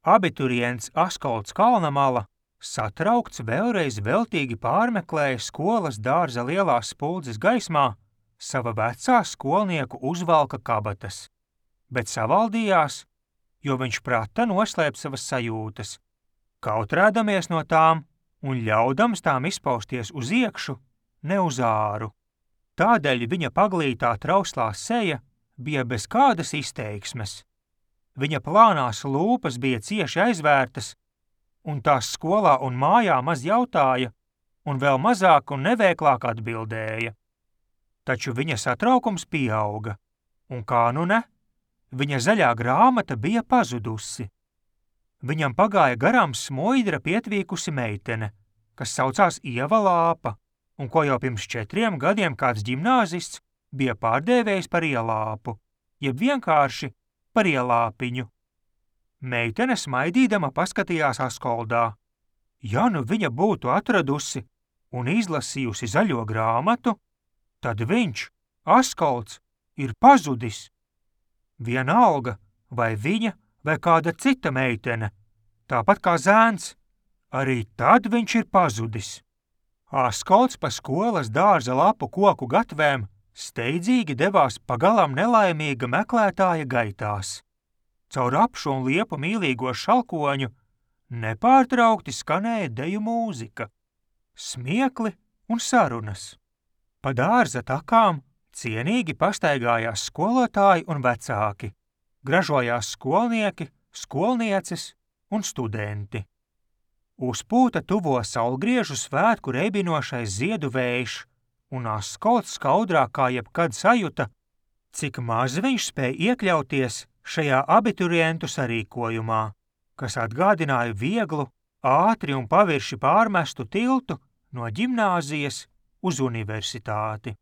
Abiturients Askolds Kalnamala satraukts vēlreiz veltīgi pārmeklēja skolas dārza lielās spuldzes gaismā sava vecā skolnieku uzvalka kabatas, bet savaldījās, jo viņš prata noslēpt savas sajūtas, kautrēdamies no tām un ļaudams tām izpausties uz iekšu, ne uz āru. Tādēļ viņa paglītā trauslā seja bija bez kādas izteiksmes. Viņa plānās lūpas bija cieši aizvērtas, un tās skolā un mājā maz jautāja, un vēl mazāk un neveiklāk atbildēja. Taču viņa satraukums pieauga, un kā nu ne, viņa zaļā grāmata bija pazudusi. Viņam pagāja garām smoidra pietvīkusi meitene, kas saucās Ieva Lāpa, un ko jau pirms 4 gadiem kāds ģimnāzists bija pārdēvējis par Ielāpu, jeb vienkārši par Ielāpiņu. Meitene smaidīdama paskatījās Askoldā. Ja nu viņa būtu atradusi un izlasījusi zaļo grāmatu, tad viņš, Askolds, ir pazudis. Vienalga, vai viņa vai kāda cita meitene, tāpat kā zēns, arī tad viņš ir pazudis. Askolds pa skolas dārza lapu koku gatvēm steidzīgi devās pagalām nelaimīga meklētāja gaitās. Caur apšu un liepu mīlīgo šalkoņu nepārtraukti skanēja deju mūzika, smiekli un sarunas. Pa dārza takām cienīgi pastaigājās skolotāji un vecāki, gražojās skolnieki, skolnieces un studenti. Uzpūta tuvo saulgriežu svētku reibinošais ziedu vējš, un Askolds skaudrāk kā jebkad sajuta, cik maz viņš spēja iekļauties šajā abiturientu sarīkojumā, kas atgādināja vieglu, ātri un pavirši pārmestu tiltu no ģimnāzijas uz universitāti.